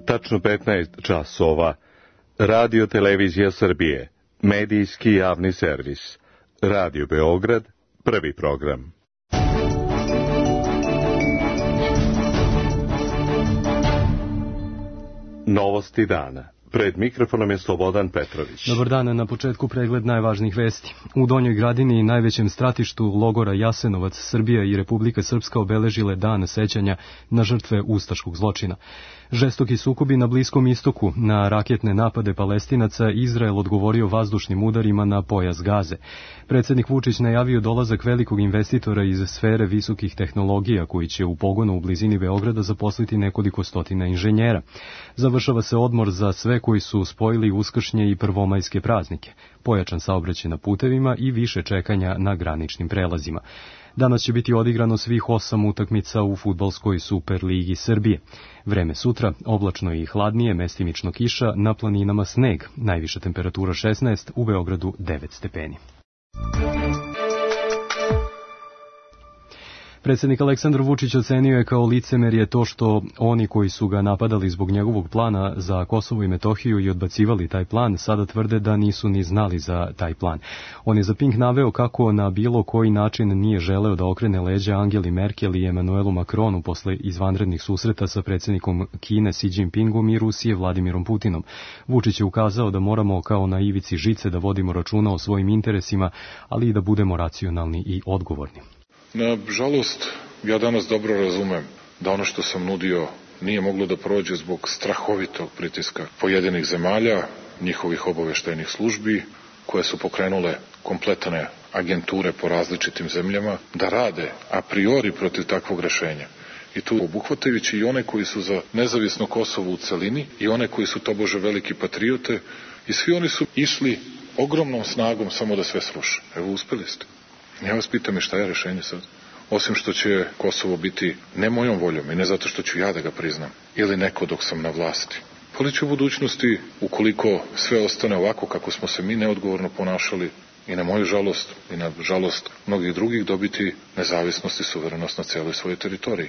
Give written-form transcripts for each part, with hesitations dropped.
Tačno 15 časova. Radio Televizija Srbije. Medijski javni servis. Radio Beograd. Prvi program. Novosti dana. Pred mikrofonom je Slobodan Petrović. Dobar dan, na početku pregled najvažnijih vesti. U Donjoj Gradini, najvećem stratištu logora Jasenovac, Srbija i Republika Srpska obeležile dan sećanja na žrtve ustaškog zločina. Žestoki sukobi na Bliskom istoku, na raketne napade Palestinaca, Izrael odgovorio vazdušnim udarima na pojas Gaze. Predsjednik Vučić najavio dolazak velikog investitora iz sfere visokih tehnologija koji će u pogonu u blizini Beograda zaposliti nekoliko stotina inženjera. Završava se odmor za sve koji su spojili uskršnje i prvomajske praznike, pojačan saobraćaj na putevima i više čekanja na graničnim prelazima. Danas će biti odigrano svih 8 utakmica u fudbalskoj Superligi Srbije. Vreme sutra, oblačno i hladnije, mestimično kiša, na planinama sneg, najviša temperatura 16, u Beogradu 9 stepeni. Predsjednik Aleksandar Vučić ocenio je kao licemerje to što oni koji su ga napadali zbog njegovog plana za Kosovo i Metohiju i odbacivali taj plan, sada tvrde da nisu ni znali za taj plan. On je za Pink naveo kako na bilo koji način nije želeo da okrene leđa Angeli Merkel i Emanuelu Macronu posle izvanrednih susreta sa predsjednikom Kine Xi Jinpingom i Rusije Vladimirom Putinom. Vučić je ukazao da moramo kao na ivici žice da vodimo računa o svojim interesima, ali i da budemo racionalni i odgovorni. Nažalost, ja danas dobro razumem da ono što sam nudio nije moglo da prođe zbog strahovitog pritiska pojedinih zemalja, njihovih obaveštajnih službi, koje su pokrenule kompletne agenture po različitim zemljama, da rade a priori protiv takvog rešenja. I tu obuhvatajući i one koji su za nezavisno Kosovo u celini i one koji su tobože veliki patriote, i svi oni su išli ogromnom snagom samo da sve sruše. Evo, uspeli ste. Ja vas pitam i šta je rešenje sad? Osim što će Kosovo biti ne mojom voljom i ne zato što ću ja da ga priznam, ili neko dok sam na vlasti. Ali će u budućnosti, ukoliko sve ostane ovako kako smo se mi neodgovorno ponašali, i na moju žalost i na žalost mnogih drugih, dobiti nezavisnost i suverenost na cijeloj svojoj teritoriji.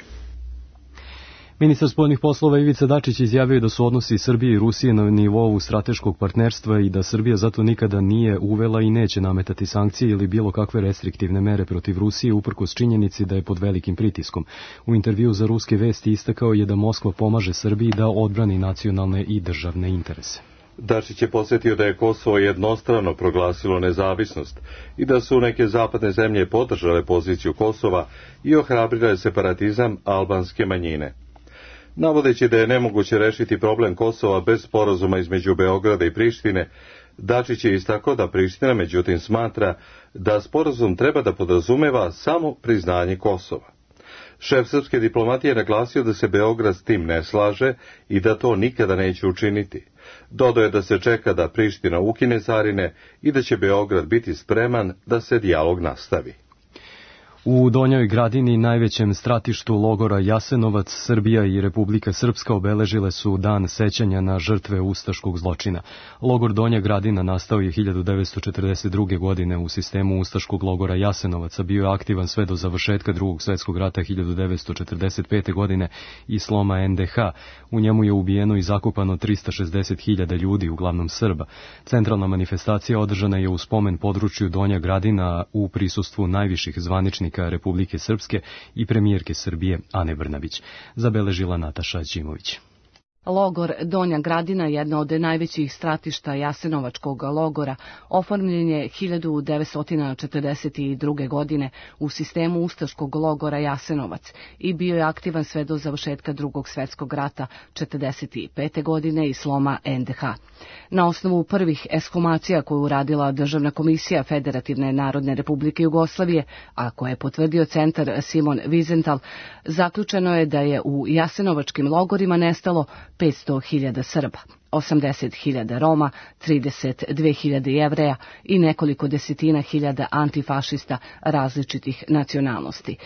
Ministar spoljnih poslova Ivica Dačić izjavio da su odnosi Srbije i Rusije na nivou strateškog partnerstva i da Srbija zato nikada nije uvela i neće nametati sankcije ili bilo kakve restriktivne mere protiv Rusije uprkos činjenici da je pod velikim pritiskom. U intervju za Ruske vesti istakao je da Moskva pomaže Srbiji da odbrani nacionalne i državne interese. Dačić je podsjetio da je Kosovo jednostrano proglasilo nezavisnost i da su neke zapadne zemlje podržale poziciju Kosova i ohrabrile separatizam albanske manjine. Navodeći da je nemoguće rešiti problem Kosova bez sporazuma između Beograda i Prištine, Dačić je istakao da Priština međutim smatra da sporazum treba da podrazumeva samo priznanje Kosova. Šef srpske diplomatije je naglasio da se Beograd s tim ne slaže i da to nikada neće učiniti. Dodao je da se čeka da Priština ukine carine i da će Beograd biti spreman da se dijalog nastavi. U Donjoj Gradini, najvećem stratištu logora Jasenovac, Srbija i Republika Srpska obeležile su dan sećanja na žrtve ustaškog zločina. Logor Donja Gradina nastao je 1942. godine u sistemu ustaškog logora Jasenovaca, bio je aktivan sve do završetka Drugog svjetskog rata 1945. godine i sloma NDH. U njemu je ubijeno i zakopano 360.000 ljudi, uglavnom Srba. Centralna manifestacija održana je u spomen području Donja Gradina u prisustvu najviših zvaničnika Republike Srpske i premijerke Srbije Ane Brnabić, zabeležila Nataša Đimović. Logor Donja Gradina, jedna od najvećih stratišta Jasenovačkog logora, oformljen je 1942. godine u sistemu ustaškog logora Jasenovac i bio je aktivan sve do završetka Drugog svjetskog rata 1945. godine i sloma NDH. Na osnovu prvih ekshumacija koju uradila Državna komisija Federativne Narodne Republike Jugoslavije, a koje je potvrdio centar Simon Wiesenthal, zaključeno je da je u Jasenovačkim logorima nestalo 500.000 Srba, 80.000 Roma, 32.000 Jevreja i nekoliko desetina hiljada antifašista različitih nacionalnosti.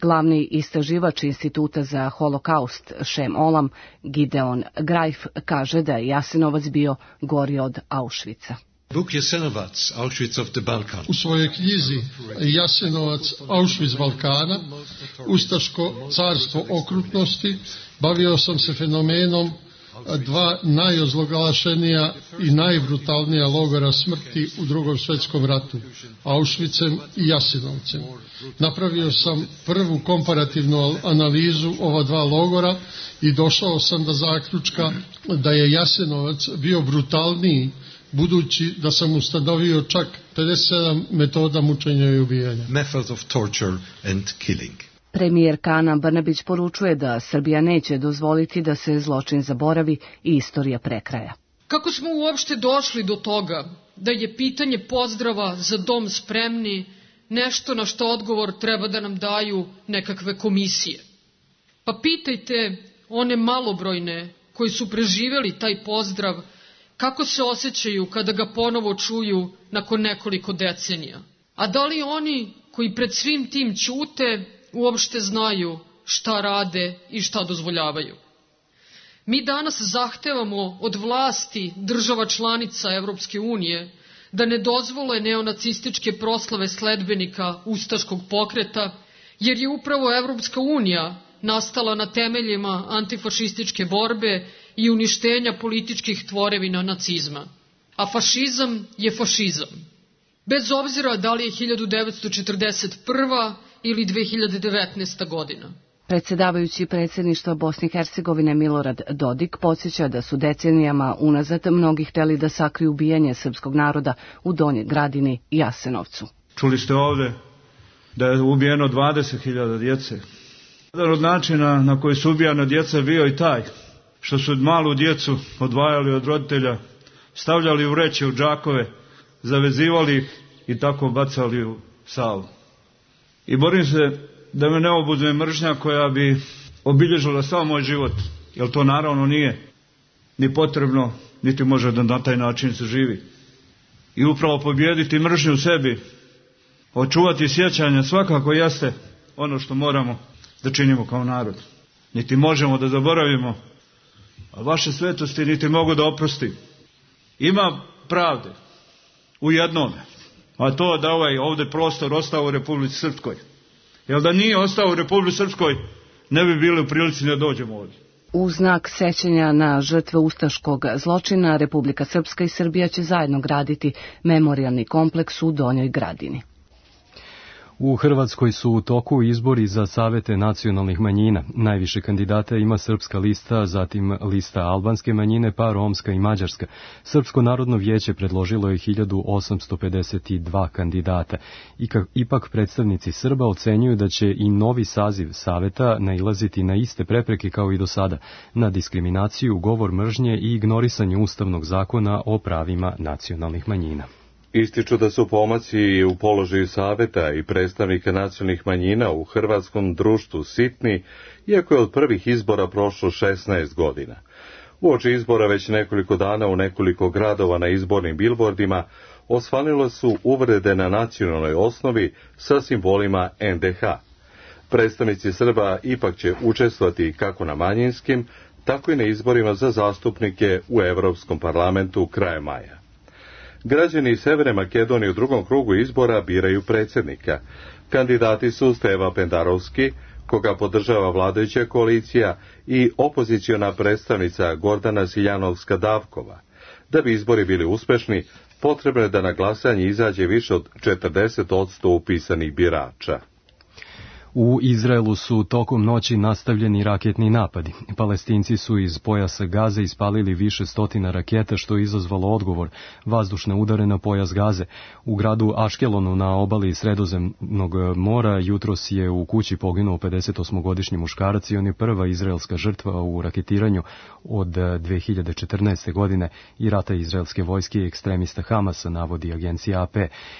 Glavni istraživač Instituta za holokaust Shem Olam, Gideon Greif, kaže da je Jasenovac bio gori od Auschwitza. Book Jasenovac, Auschwitz of the Balkan. U svojoj knjizi Jasenovac, Auschwitz Balkana, Ustaško carstvo okrutnosti, bavio sam se fenomenom dva najozloglašenija i najbrutalnija logora smrti u Drugom svjetskom ratu, Auschwitzem i Jasenovcem. Napravio sam prvu komparativnu analizu ova dva logora i došao sam do zaključka da je Jasenovac bio brutalniji, budući da sam ustanovio čak 57 metoda mučenja i ubijanja. Methods of torture and killing. Premijerka Ana Brnabić poručuje da Srbija neće dozvoliti da se zločin zaboravi i istorija prekraja. Kako smo uopšte došli do toga da je pitanje pozdrava za dom spremni nešto na što odgovor treba da nam daju nekakve komisije? Pa pitajte one malobrojne koji su preživjeli taj pozdrav kako se osjećaju kada ga ponovo čuju nakon nekoliko decenija. A da li oni koji pred svim tim ćute uopšte znaju šta rade i šta dozvoljavaju? Mi danas zahtevamo od vlasti država članica Evropske unije da ne dozvole neonacističke proslave sledbenika ustaškog pokreta, jer je upravo Evropska unija nastala na temeljima antifašističke borbe i uništenja političkih tvorevina nacizma. A fašizam je fašizam. Bez obzira da li je 1941. ili 2019. godina. Predsjedavajući predsjedništva Bosne i Hercegovine Milorad Dodik podsjeća da su decenijama unazad mnogi hteli da sakriju ubijanje srpskog naroda u Donjoj Gradini i Jasenovcu. Čuli ste ovde da je ubijeno 20.000 djece. Jedan od načina na koji su ubijana djeca bio i taj što su malu djecu odvajali od roditelja, stavljali u vreće, u džakove, zavezivali ih i tako bacali u Savu. I borim se da me ne obuzme mržnja koja bi obilježila sav moj život, jer to naravno nije ni potrebno, niti može da na taj način se živi. I upravo pobijediti mržnju u sebi, očuvati sjećanja, svakako jeste ono što moramo da činimo kao narod. Niti možemo da zaboravimo, a vaše svetosti niti mogu da oprosti. Ima pravde u jednome, a to da ovaj ovde prostor ostao u Republici Srpskoj. Jer da nije ostao u Republici Srpskoj, ne bi bili u prilici da dođemo ovdje. U znak sećanja na žrtve ustaškog zločina, Republika Srpska i Srbija će zajedno graditi memorijalni kompleks u Donjoj Gradini. U Hrvatskoj su u toku izbori za savete nacionalnih manjina. Najviše kandidata ima srpska lista, zatim lista albanske manjine, pa romska i mađarska. Srpsko narodno vijeće predložilo je 1852 kandidata. Ipak predstavnici Srba ocenjuju da će i novi saziv saveta nailaziti na iste prepreke kao i do sada, na diskriminaciju, govor mržnje i ignorisanje Ustavnog zakona o pravima nacionalnih manjina. Ističu da su pomaci u položaju saveta i predstavnika nacionalnih manjina u hrvatskom društvu sitni, iako je od prvih izbora prošlo 16 godina. Uoči izbora već nekoliko dana u nekoliko gradova na izbornim bilbordima osvanile su uvrede na nacionalnoj osnovi sa simbolima NDH. Predstavnici Srba ipak će učestvovati kako na manjinskim, tako i na izborima za zastupnike u Evropskom parlamentu krajem maja. Građani Severne Makedonije u drugom krugu izbora biraju predsjednika. Kandidati su Steva Pendarovski, koga podržava vladajuća koalicija, i opoziciona predstavnica Gordana Siljanovska-Davkova. Da bi izbori bili uspešni, potrebno je da na glasanje izađe više od 40% upisanih birača. U Izraelu su tokom noći nastavljeni raketni napadi. Palestinci su iz pojasa Gaze ispalili više stotina raketa, što je izazvalo odgovor vazdušne udare na pojas Gaze. U gradu Aškelonu na obali Sredozemnog mora jutros je u kući poginuo 58-godišnji muškarac i on je prva izraelska žrtva u raketiranju od 2014. godine i rata izraelske vojske i ekstremista Hamasa, navodi agencija AP.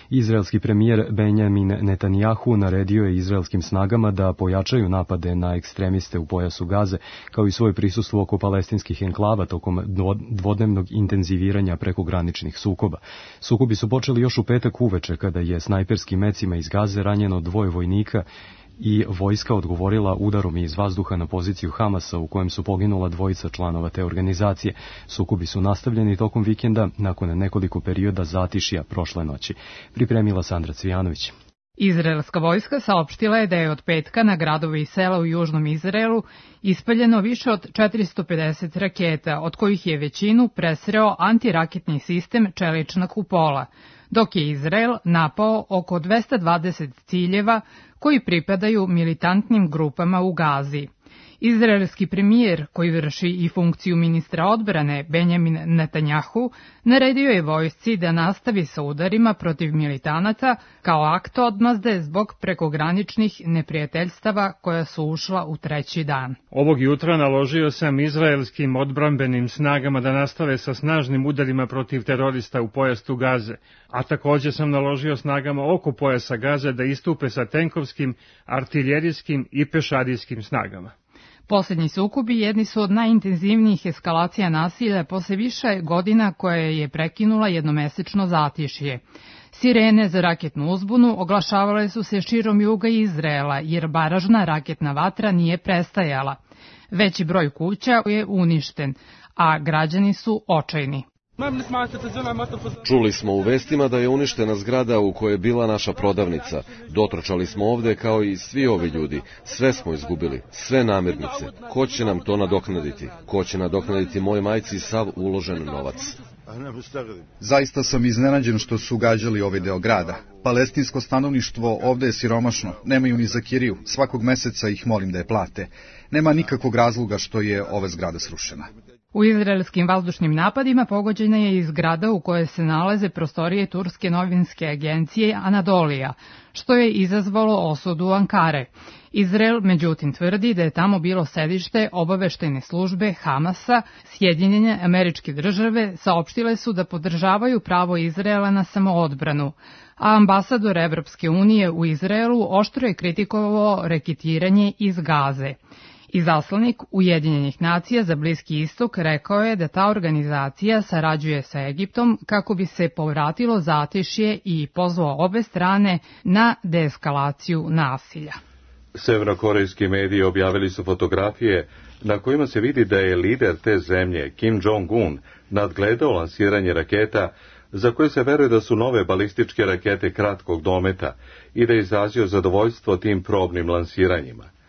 Izraelski premijer Benjamin Netanjahu naredio je izraelskim snagama da pojačaju napade na ekstremiste u pojasu Gaze, kao i svoje prisustvo oko palestinskih enklava tokom dvodnevnog intenziviranja prekograničnih sukoba. Sukobi su počeli još u petak uveče, kada je snajperskim mecima iz Gaze ranjeno 2 vojnika i vojska odgovorila udarom iz vazduha na poziciju Hamasa, u kojem su poginula 2 članova te organizacije. Sukobi su nastavljeni tokom vikenda nakon nekoliko perioda zatišja prošle noći. Pripremila Sandra Cvijanović. Izraelska vojska saopštila je da je od petka na gradove i sela u južnom Izraelu ispaljeno više od 450 raketa, od kojih je većinu presreo antiraketni sistem čelična kupola, dok je Izrael napao oko 220 ciljeva koji pripadaju militantnim grupama u Gazi. Izraelski premijer, koji vrši i funkciju ministra odbrane, Benjamin Netanjahu, naredio je vojsci da nastavi sa udarima protiv militanata kao akt odmazde zbog prekograničnih neprijateljstava koja su ušla u treći dan. Ovog jutra naložio sam izraelskim odbrambenim snagama da nastave sa snažnim udarima protiv terorista u pojasu Gaze, a također sam naložio snagama oko pojasa Gaze da istupe sa tenkovskim, artiljerijskim i pešadijskim snagama. Poslednji sukobi jedni su od najintenzivnijih eskalacija nasilja posle više godina koje je prekinula jednomesečno zatišje. Sirene za raketnu uzbunu oglašavale su se širom juga Izraela, jer baražna raketna vatra nije prestajala. Veći broj kuća je uništen, a građani su očajni. Čuli smo u vestima da je uništena zgrada u kojoj je bila naša prodavnica. Dotrčali smo ovde kao i svi ovi ljudi. Sve smo izgubili, sve namirnice. Ko će nam to nadoknaditi? Ko će nadoknaditi moj majci sav uložen novac? Zaista sam iznenađen što su gađali ovaj deo grada. Palestinsko stanovništvo ovde je siromašno, nemaju ni za kiriju, svakog meseca ih molim da je plate. Nema nikakvog razloga što je ova zgrada srušena. U izraelskim vazdušnim napadima pogođena je i zgrada u kojoj se nalaze prostorije turske novinske agencije Anadolija, što je izazvalo osudu Ankare. Izrael, međutim, tvrdi da je tamo bilo sedište obaveštajne službe Hamasa. Sjedinjene Američke Države saopštile su da podržavaju pravo Izraela na samoodbranu, a ambasador Evropske unije u Izraelu oštro je kritikovao reketiranje iz Gaze. Izaslanik Ujedinjenih nacija za Bliski istok rekao je da ta organizacija sarađuje sa Egiptom kako bi se povratilo zatišje i pozvao obe strane na deeskalaciju nasilja. Severnokorejski mediji objavili su fotografije na kojima se vidi da je lider te zemlje, Kim Jong-un, nadgledao lansiranje raketa za koje se veruje da su nove balističke rakete kratkog dometa i da je izrazio zadovoljstvo tim probnim lansiranjima.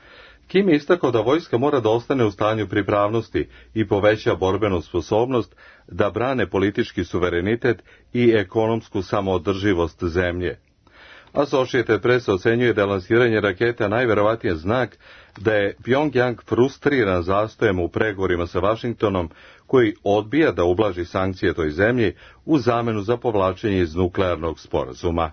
Kim je istakao da vojska mora da ostane u stanju pripravnosti i poveća borbenu sposobnost da brane politički suverenitet i ekonomsku samoodrživost zemlje. Associated Press ocenjuje da je lansiranje raketa najverovatnije znak da je Pyongyang frustriran zastojem u pregovorima sa Vašingtonom, koji odbija da ublaži sankcije toj zemlji u zamenu za povlačenje iz nuklearnog sporazuma.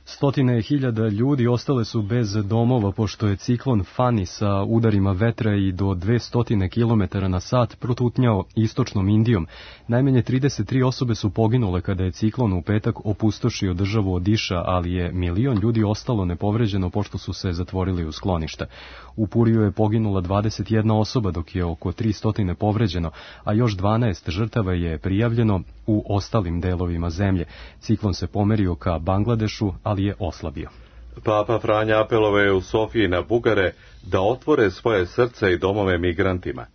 Stotine hiljada ljudi ostale su bez domova pošto je ciklon Fani sa udarima vetra i do 200 km na sat protutnjao istočnom Indijom. Najmanje 33 osobe su poginule kada je ciklon u petak opustošio državu Odiša, ali je 1 milion ljudi ostalo nepovređeno pošto su se zatvorili u skloništa. U Puriju je poginula 21 osoba dok je oko 300 povređeno, a još 12 žrtava je prijavljeno u ostalim delovima zemlje. Ciklon se pomerio ka Bangladešu, ali je oslabio. Papa Franja apelovao je u Sofiji na Bugare da otvore svoje srce i domove migrantima.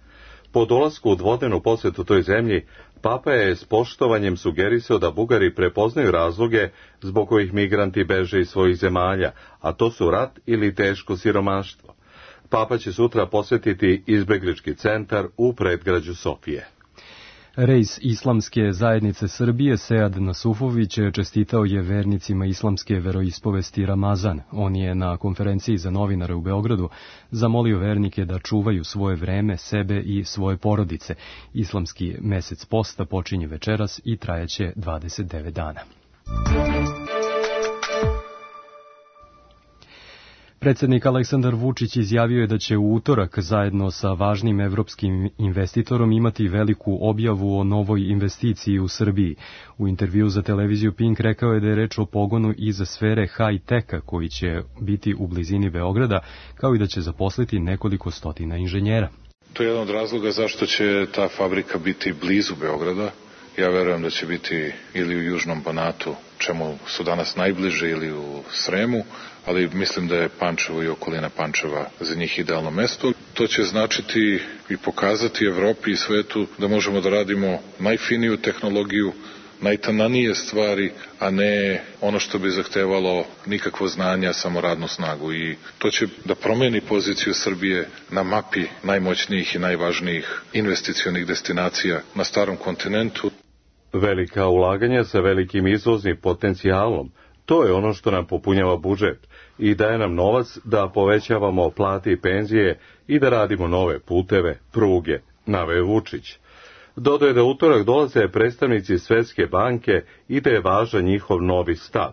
Po dolasku u dvodnevnu posjetu toj zemlji, Papa je s poštovanjem sugerisao da Bugari prepoznaju razloge zbog kojih migranti beže iz svojih zemalja, a to su rat ili teško siromaštvo. Papa će sutra posjetiti izbeglički centar u predgrađu Sofije. Rejs Islamske zajednice Srbije Sead Nasufović čestitao je vernicima islamske veroispovesti Ramazan. On je na konferenciji za novinare u Beogradu zamolio vernike da čuvaju svoje vreme, sebe i svoje porodice. Islamski mesec posta počinje večeras i trajaće 29 dana. Predsjednik Aleksandar Vučić izjavio je da će u utorak zajedno sa važnim evropskim investitorom imati veliku objavu o novoj investiciji u Srbiji. U intervju za televiziju Pink rekao je da je reč o pogonu iz sfere high-teka koji će biti u blizini Beograda, kao i da će zaposliti nekoliko stotina inženjera. To je jedan od razloga zašto će ta fabrika biti blizu Beograda. Ja verujem da će biti ili u Južnom Banatu, čemu su danas najbliže, ili u Sremu, ali mislim da je Pančevo i okolina Pančeva za njih idealno mesto. To će značiti i pokazati Evropi i svetu da možemo da radimo najfiniju tehnologiju, najtananije stvari, a ne ono što bi zahtevalo nikakvo znanje, samo radnu snagu. I to će da promeni poziciju Srbije na mapi najmoćnijih i najvažnijih investicionih destinacija na starom kontinentu. Velika ulaganja sa velikim izvoznim potencijalom, to je ono što nam popunjava budžet i daje nam novac da povećavamo plate i penzije i da radimo nove puteve, pruge, naveo Vučić. Dodaje da utorak dolaze predstavnici Svetske banke i da je važan njihov novi stav.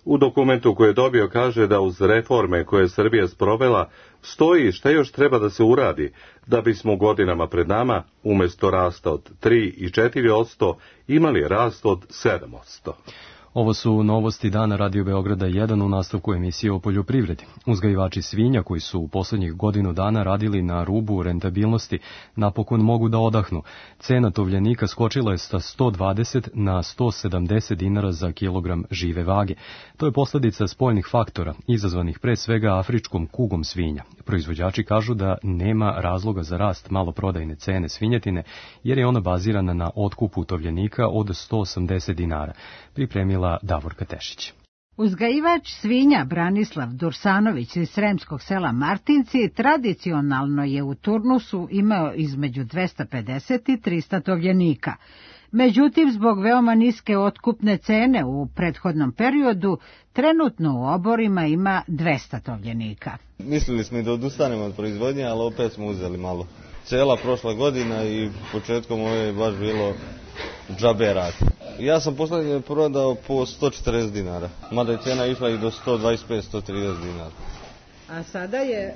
U dokumentu koji je dobio kaže da uz reforme koje je Srbija sprovela stoji šta još treba da se uradi da bismo godinama pred nama umjesto rasta od 3 i 4% imali rast od 7%. Ovo su novosti dana Radio Beograda 1 u nastavku emisije o poljoprivredi. Uzgajivači svinja koji su u poslednjih godinu dana radili na rubu rentabilnosti napokon mogu da odahnu. Cena tovljenika skočila je sa 120 na 170 dinara za kilogram žive vage. To je posledica spoljnih faktora, izazvanih pre svega afričkom kugom svinja. Proizvođači kažu da nema razloga za rast maloprodajne cene svinjetine, jer je ona bazirana na otkupu tovljenika od 180 dinara. Pripremila Davorka Tešić. Uzgajivač svinja Branislav Dursanović iz sremskog sela Martinci tradicionalno je u turnusu imao između 250 i 300 tovljenika. Međutim, zbog veoma niske otkupne cene u prethodnom periodu, trenutno u oborima ima 200 tovljenika. Mislili smo i da odustanemo od proizvodnje, ali opet smo uzeli malo. Cela prošla godina i početkom ove je baš bilo džabe rad. Ja sam poslednje prodao po 140 dinara, mada je cena išla i do 125-130 dinara. A sada je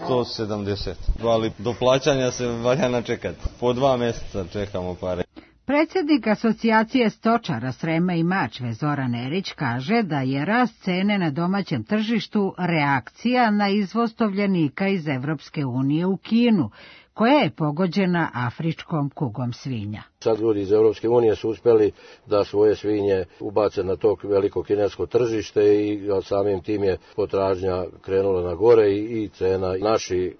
170, ali do plaćanja se valja načekati. Po 2 meseca čekamo pare. Predsjednik asocijacije stočara Srema i Mačve Zoran Erić kaže da je rast cene na domaćem tržištu reakcija na izvoz tovljenika iz Evropske unije u Kinu, koja je pogođena afričkom kugom svinja. Sad ljudi iz Evropske unije su uspjeli da svoje svinje ubace na to veliko kinesko tržište i samim tim je potražnja krenula na gore i cena. Naši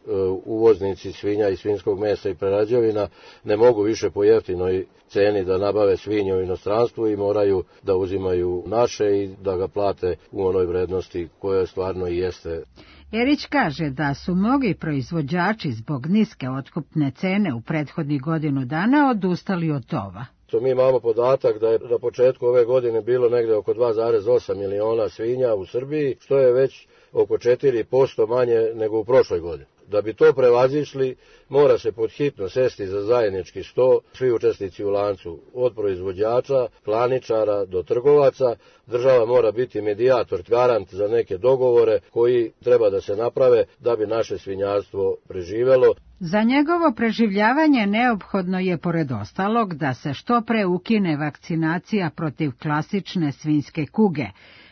uvoznici svinja i svinjskog mesa i prerađevina ne mogu više po jeftinoj ceni da nabave svinje u inostranstvu i moraju da uzimaju naše i da ga plate u onoj vrednosti koja stvarno i jeste. Erić kaže da su mnogi proizvođači zbog niske otkupne cene u prethodnih godinu dana odustali od tova. Mi imamo podatak da je na početku ove godine bilo negde oko 2,8 miliona svinja u Srbiji, što je već oko 4% manje nego u prošloj godini. Da bi to prevazišli, mora se podhitno sesti za zajednički sto, svi učesnici u lancu, od proizvođača, klaničara do trgovaca. Država mora biti medijator, garant za neke dogovore koji treba da se naprave da bi naše svinjarstvo preživelo. Za njegovo preživljavanje neophodno je, pored ostalog, da se što pre ukine vakcinacija protiv klasične svinjske kuge,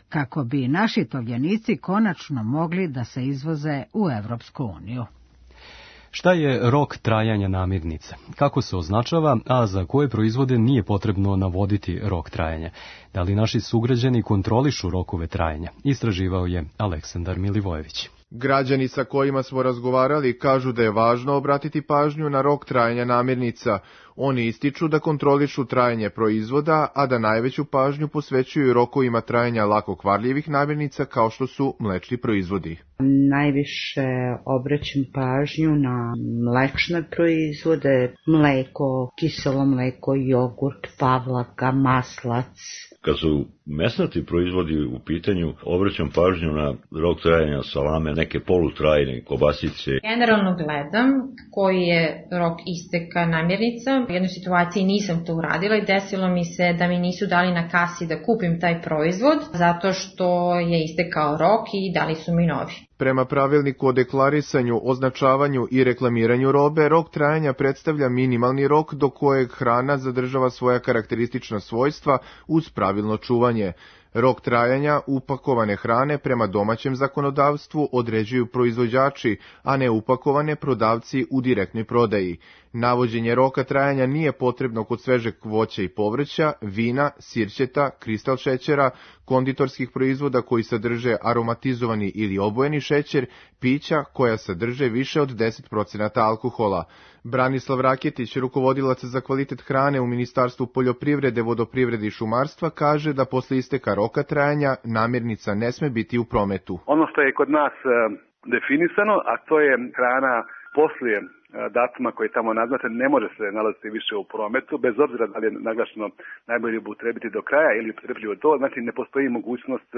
kako bi naši tovljenici konačno mogli da se izvoze u Evropsku uniju. Šta je rok trajanja namirnica? Kako se označava, a za koje proizvode nije potrebno navoditi rok trajanja? Da li naši sugrađani kontrolišu rokove trajanja? Istraživao je Aleksandar Milivojević. Građani sa kojima smo razgovarali kažu da je važno obratiti pažnju na rok trajanja namirnica. Oni ističu da kontrolišu trajanje proizvoda, a da najveću pažnju posvećuju rokovima trajanja lako kvarljivih namirnica kao što su mlečni proizvodi. Najviše obraćam pažnju na mlečne proizvode, mleko, kiselo mleko, jogurt, pavlaka, maslac. Kad su mesnati proizvodi u pitanju, obraćam pažnju na rok trajanja salame, neke polutrajne kobasice. Generalno gledam koji je rok isteka namirnica. U jednoj situaciji nisam to uradila i desilo mi se da mi nisu dali na kasi da kupim taj proizvod, zato što je istekao rok i dali su mi novi. Prema pravilniku o deklarisanju, označavanju i reklamiranju robe, rok trajanja predstavlja minimalni rok do kojeg hrana zadržava svoja karakteristična svojstva uz pravilno čuvanje. Rok trajanja upakovane hrane prema domaćem zakonodavstvu određuju proizvođači, a ne upakovane prodavci u direktnoj prodaji. Navođenje roka trajanja nije potrebno kod svežeg voća i povrća, vina, sirćeta, kristal šećera, konditorskih proizvoda koji sadrže aromatizovani ili obojeni šećer, pića koja sadrže više od 10% alkohola. Branislav Raketić, rukovodilac za kvalitet hrane u Ministarstvu poljoprivrede, vodoprivrede i šumarstva, kaže da posle isteka roka trajanja namirnica ne sme biti u prometu. Ono što je kod nas definisano, a to je hrana poslije datuma koji je tamo naznačen, ne može se nalaziti više u prometu, bez obzira da li je naglašeno najbolje upotrebiti do kraja ili upotrebljivo do, znači ne postoji mogućnost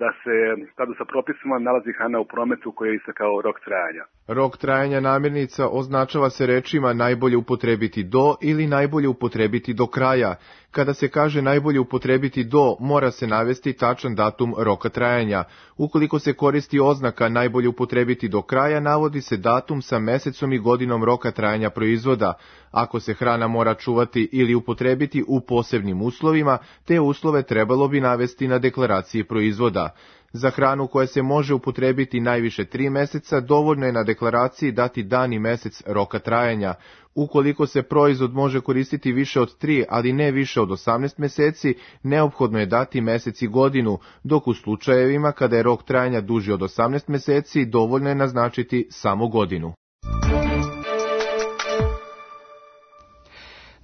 da se u skladu sa propisima nalazi hrana u prometu koji je istekao rok trajanja. Rok trajanja namirnica označava se rečima najbolje upotrebiti do ili najbolje upotrebiti do kraja. Kada se kaže najbolje upotrebiti do, mora se navesti tačan datum roka trajanja. Ukoliko se koristi oznaka najbolje upotrebiti do kraja, navodi se datum sa mesecom i godinom roka trajanja proizvoda. Ako se hrana mora čuvati ili upotrebiti u posebnim uslovima, te uslove trebalo bi navesti na deklaraciji proizvoda. Za hranu koja se može upotrebiti najviše 3 meseca, dovoljno je na deklaraciji dati dan i mesec roka trajanja. Ukoliko se proizvod može koristiti više od 3, ali ne više od 18 meseci, neophodno je dati mesec i godinu, dok u slučajevima kada je rok trajanja duži od 18 meseci, dovoljno je naznačiti samo godinu.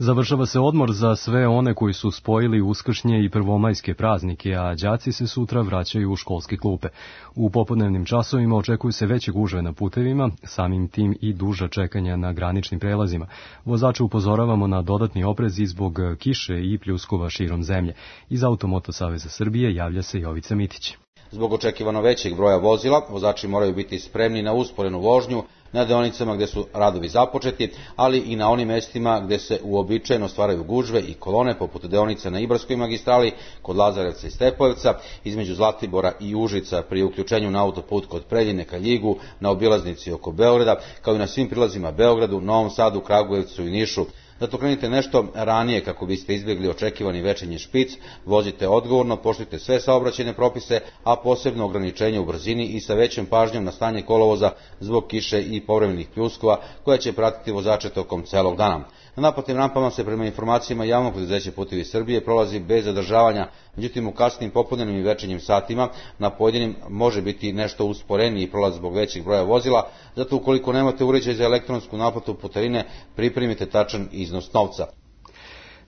Završava se odmor za sve one koji su spojili uskršnje i prvomajske praznike, a đaci se sutra vraćaju u školske klupe. U popodnevnim časovima očekuju se veće gužve na putevima, samim tim i duža čekanja na graničnim prelazima. Vozače upozoravamo na dodatni oprez i zbog kiše i pljuskova širom zemlje. Iz Automoto Saveza Srbije javlja se Jovica Mitić. Zbog očekivano većeg broja vozila, vozači moraju biti spremni na usporenu vožnju na deonicama gde su radovi započeti, ali i na onim mestima gde se uobičajeno stvaraju gužve i kolone, poput deonica na Ibarskoj magistrali, kod Lazarevca i Stepojevca, između Zlatibora i Užica pri uključenju na autoput kod Preljine ka Ljigu, na obilaznici oko Beograda, kao i na svim prilazima Beogradu, Novom Sadu, Kragujevcu i Nišu. Zato krenite nešto ranije kako biste izbjegli očekivani večernji špic, vozite odgovorno, poštujte sve saobraćajne propise, a posebno ograničenje u brzini i sa većom pažnjom na stanje kolovoza zbog kiše i povremenih pljuskova koja će pratiti vozače tokom celog dana. Na naplatnim rampama se prema informacijama javnog preduzeća Putevi Srbije prolazi bez zadržavanja, međutim u kasnim popodnevnim i večernjim satima na pojedinim može biti nešto usporeniji prolaz zbog većeg broja vozila, zato ukoliko nemate uređaj za elektronsku naplatu putarine, pripremite tačan iznos novca.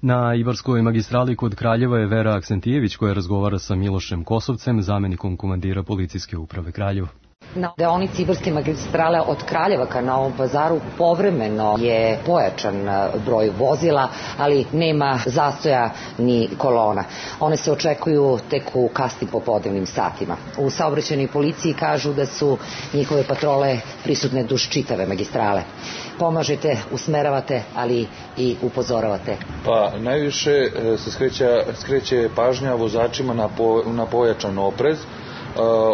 Na Ibarskoj magistrali kod Kraljeva je Vera Aksentijević koja razgovara sa Milošem Kosovcem, zamenikom komandira policijske uprave Kraljevo. Na deonici Ibarske magistrale od Kraljeva ka Novom Pazaru povremeno je pojačan broj vozila, ali nema zastoja ni kolona. One se očekuju tek u kasnim popodnevnim satima. U saobraćajnoj policiji kažu da su njihove patrole prisutne duž čitave magistrale. Pomažete, usmeravate, ali i upozoravate. Pa najviše se skreće pažnja vozačima na pojačan oprez,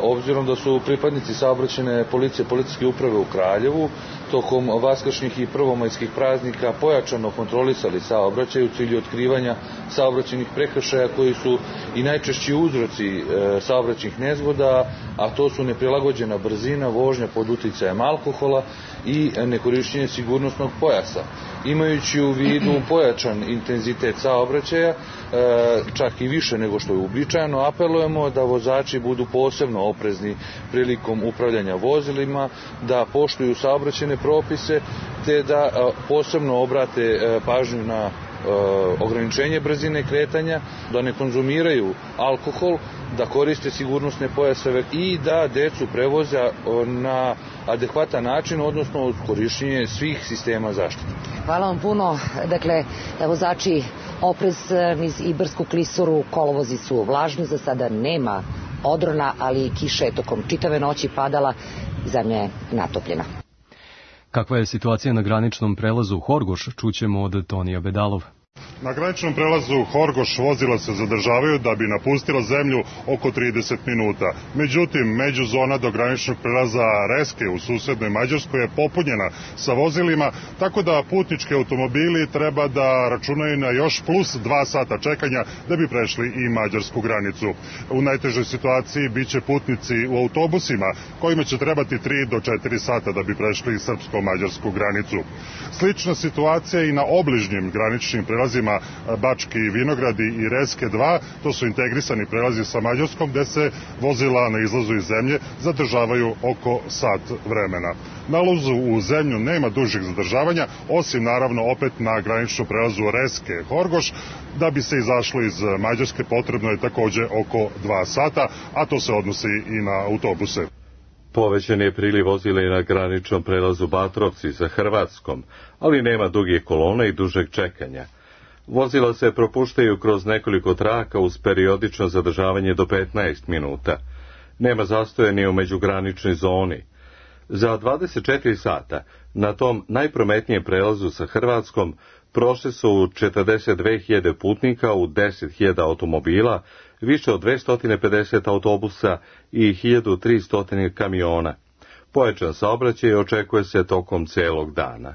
obzirom da su pripadnici saobraćajne policije policijske uprave u Kraljevu tokom vaskršnjih i prvomajskih praznika pojačano kontrolisali saobraćaj u cilju otkrivanja saobraćajnih prekršaja koji su i najčešći uzroci saobraćajnih nezgoda, a to su neprilagođena brzina, vožnja pod uticajem alkohola i nekorišćenje sigurnosnog pojasa. Imajući u vidu pojačan intenzitet saobraćaja, čak i više nego što je uobičajeno, apelujemo da vozači budu posebno oprezni prilikom upravljanja vozilima, da poštuju saobraćajne propise, te da posebno obrate pažnju na ograničenje brzine kretanja, da ne konzumiraju alkohol, da koriste sigurnosne pojaseve i da decu prevoze na adekvatan način, odnosno uz korišćenje svih sistema zaštite. Hvala vam puno. Dakle, vozači oprez niz Ibarsku klisuru, kolovozi su vlažni, za sada nema odrona, ali kiša je tokom čitave noći padala, zemlja je natopljena. Kakva je situacija na graničnom prelazu Horgoš, čućemo od Tonija Bedalov. Na graničnom prelazu Horgoš vozila se zadržavaju da bi napustila zemlju oko 30 minuta. Međutim, međuzona do graničnog prelaza Reske u susednoj Mađarskoj je popunjena sa vozilima, tako da putnički automobili treba da računaju na još plus 2 sata čekanja da bi prešli i mađarsku granicu. U najtežoj situaciji biće putnici u autobusima kojima će trebati 3 do 4 sata da bi prešli srpsko-mađarsku granicu. Slična situacija i na obližnjim graničnim prelazima Bački Vinogradi i Reske 2, to su integrisani prelazi sa Mađarskom gde se vozila na izlazu iz zemlje zadržavaju oko sat vremena. Na ulazu u zemlju nema dužih zadržavanja, osim naravno opet na graničnom prelazu Reske Horgoš. Da bi se izašlo iz Mađarske potrebno je takođe oko 2 sata, a to se odnosi i na autobuse. Povećan je priliv vozila i na graničnom prelazu Batrovci sa Hrvatskom, ali nema dugih kolona i dužeg čekanja. Vozila se propuštaju kroz nekoliko traka uz periodično zadržavanje do 15 minuta. Nema zastoja ni u međugraničnoj zoni. Za 24 sata na tom najprometnijem prelazu sa Hrvatskom prošli su 42.000 putnika u 10.000 automobila, više od 250 autobusa i 1.300 kamiona. Pojačan saobraćaj očekuje se tokom celog dana.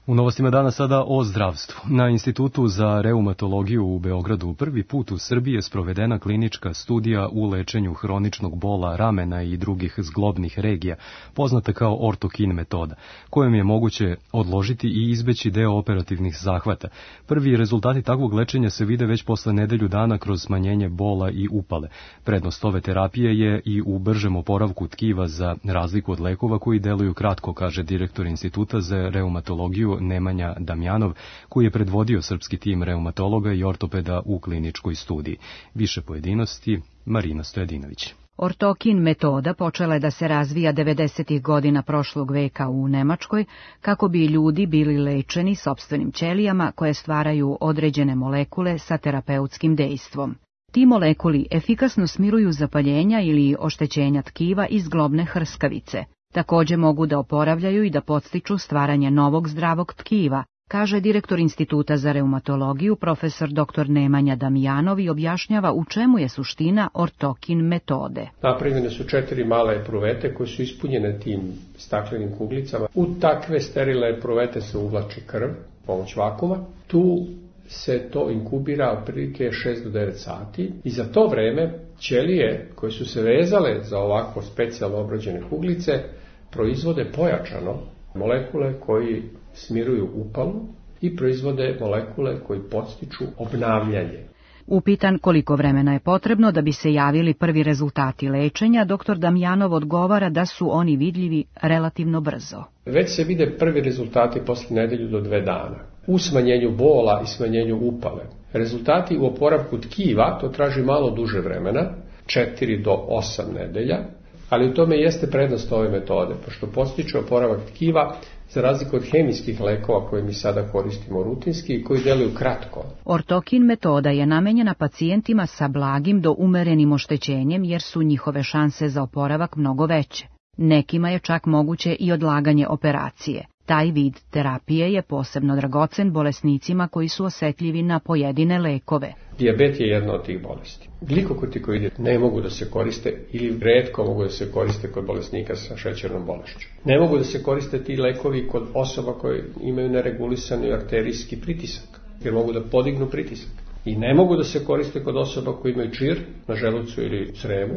U novostima dana sada o zdravstvu. Na Institutu za reumatologiju u Beogradu prvi put u Srbiji je sprovedena klinička studija u lečenju hroničnog bola ramena i drugih zglobnih regija, poznata kao ortokin metoda, kojom je moguće odložiti i izbeći deo operativnih zahvata. Prvi rezultati takvog lečenja se vide već posle nedelju dana kroz smanjenje bola i upale. Prednost ove terapije je i u bržem oporavku tkiva za razliku od lekova koji deluju kratko, kaže direktor Instituta za reumatologiju Nemanja Damjanov, koji je predvodio srpski tim reumatologa i ortopeda u kliničkoj studiji. Više pojedinosti, Marina Stojadinović. Ortokin metoda počela je da se razvija 90. godina prošlog veka u Nemačkoj, kako bi ljudi bili lečeni sopstvenim ćelijama koje stvaraju određene molekule sa terapeutskim dejstvom. Ti molekuli efikasno smiruju zapaljenja ili oštećenja tkiva i zglobne hrskavice. Takođe mogu da oporavljaju i da podstiču stvaranje novog zdravog tkiva, kaže direktor Instituta za reumatologiju profesor dr. Nemanja Damjanov i objašnjava u čemu je suština ortokin metode. Napravljene su 4 male epruvete koje su ispunjene tim staklenim kuglicama. U takve sterilne epruvete se uvlači krv, pomoć vakuma. Tu se to inkubira otprilike 6 do 9 sati i za to vreme ćelije koje su se vezale za ovako specijalno obrađene kuglice proizvode pojačano molekule koji smiruju upalu i proizvode molekule koji podstiču obnavljanje. Upitan koliko vremena je potrebno da bi se javili prvi rezultati lečenja, dr. Damjanov odgovara da su oni vidljivi relativno brzo. Već se vide prvi rezultati posle nedelju do 2 dana. U smanjenju bola i smanjenju upale. Rezultati u oporavku tkiva, to traži malo duže vremena, 4 do 8 nedelja, ali u tome jeste prednost ove metode, pošto podstiče oporavak tkiva za razliku od hemijskih lekova koje mi sada koristimo rutinski i koji deluju kratko. Ortokin metoda je namenjena pacijentima sa blagim do umerenim oštećenjem jer su njihove šanse za oporavak mnogo veće. Nekima je čak moguće i odlaganje operacije. Taj vid terapije je posebno dragocen bolesnicima koji su osetljivi na pojedine lekove. Dijabet je jedna od tih bolesti. Glikokotikoidi ne mogu da se koriste ili retko mogu da se koriste kod bolesnika sa šećernom bolešću. Ne mogu da se koriste ti lekovi kod osoba koje imaju neregulisani arterijski pritisak, jer mogu da podignu pritisak. I ne mogu da se koriste kod osoba koji imaju čir na želucu ili crevu,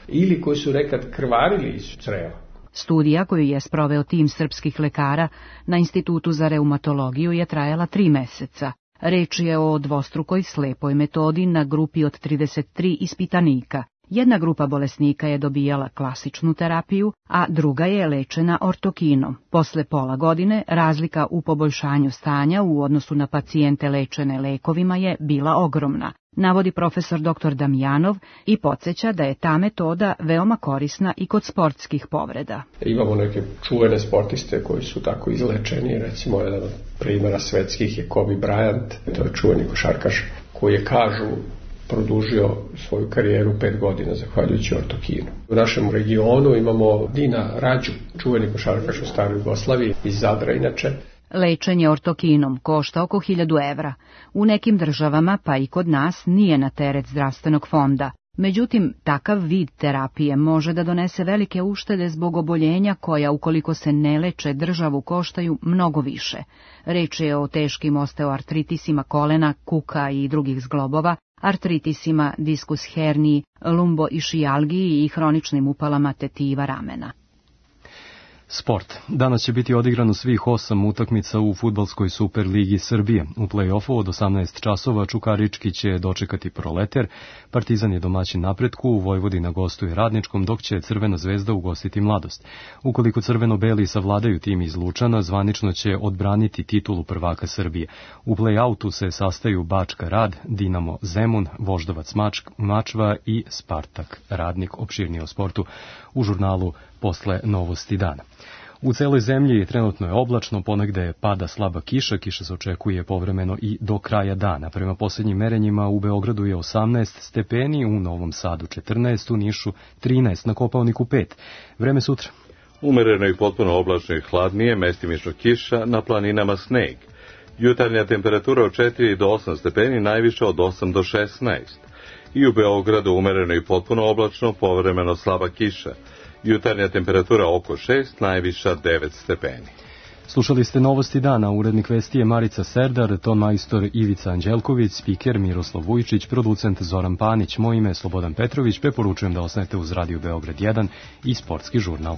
ili koji su nekad krvarili iz creva. Studija koju je sproveo tim srpskih lekara na Institutu za reumatologiju je trajala 3 meseca. Reč je o dvostrukoj slepoj metodi na grupi od 33 ispitanika. Jedna grupa bolesnika je dobijala klasičnu terapiju, a druga je lečena ortokinom. Posle pola godine razlika u poboljšanju stanja u odnosu na pacijente lečene lekovima je bila ogromna, navodi profesor dr. Damjanov i podsjeća da je ta metoda veoma korisna i kod sportskih povreda. Imamo neke čuvene sportiste koji su tako izlečeni, recimo jedan od primjera svetskih je Kobe Bryant, to je čuveni košarkaš, koji je, kažu, produžio svoju karijeru 5 godina zahvaljujući ortokinu. U našem regionu imamo Dina Rađu, čuveni košarkaš u staroj Jugoslaviji, iz Zadra inače. Lečenje ortokinom košta oko 1000 evra. U nekim državama, pa i kod nas, nije na teret zdravstvenog fonda. Međutim, takav vid terapije može da donese velike uštede zbog oboljenja koja, ukoliko se ne leče, državu koštaju mnogo više. Reč je o teškim osteoartritisima kolena, kuka i drugih zglobova, artritisima, diskus herniji, lumboišijalgiji i hroničnim upalama tetiva ramena. Sport. Danas će biti odigrano svih 8 utakmica u fudbalskoj Superligi Srbije. U play-offu od 18 časova Čukarički će dočekati Proleter, Partizan je domaćin Napretku, Vojvodina gostuje Radničkom, dok će Crvena zvezda ugostiti Mladost. Ukoliko crveno-beli savladaju tim iz Lučana, zvanično će odbraniti titulu prvaka Srbije. U play-outu se sastaju Bačka Rad, Dinamo Zemun, Voždovac Mačva i Spartak Radnik. Opširnije o sportu u žurnalu posle Novosti dana. U celoj zemlji trenutno je oblačno, ponegde pada slaba kiša, kiša se očekuje povremeno i do kraja dana. Prema posljednjim merenjima u Beogradu je 18 stepeni, u Novom Sadu 14, u Nišu 13, na Kopaoniku 5. Vreme sutra. Umereno i potpuno oblačno i hladnije, mestimično kiša, na planinama sneg. Jutarnja temperatura od 4 do 8 stepeni, najviša od 8 do 16. I u Beogradu umereno i potpuno oblačno, povremeno slaba kiša. Jutarnja temperatura oko 6, najviša 9 stepeni. Slušali ste Novosti dana, urednik vesti je Marica Serdar, ton majstor Ivica Anđelković, spiker Miroslav Vujčić, producent Zoran Panić, moje ime je Slobodan Petrović, preporučujem da ostanete uz Radio Beograd 1 i Sportski žurnal.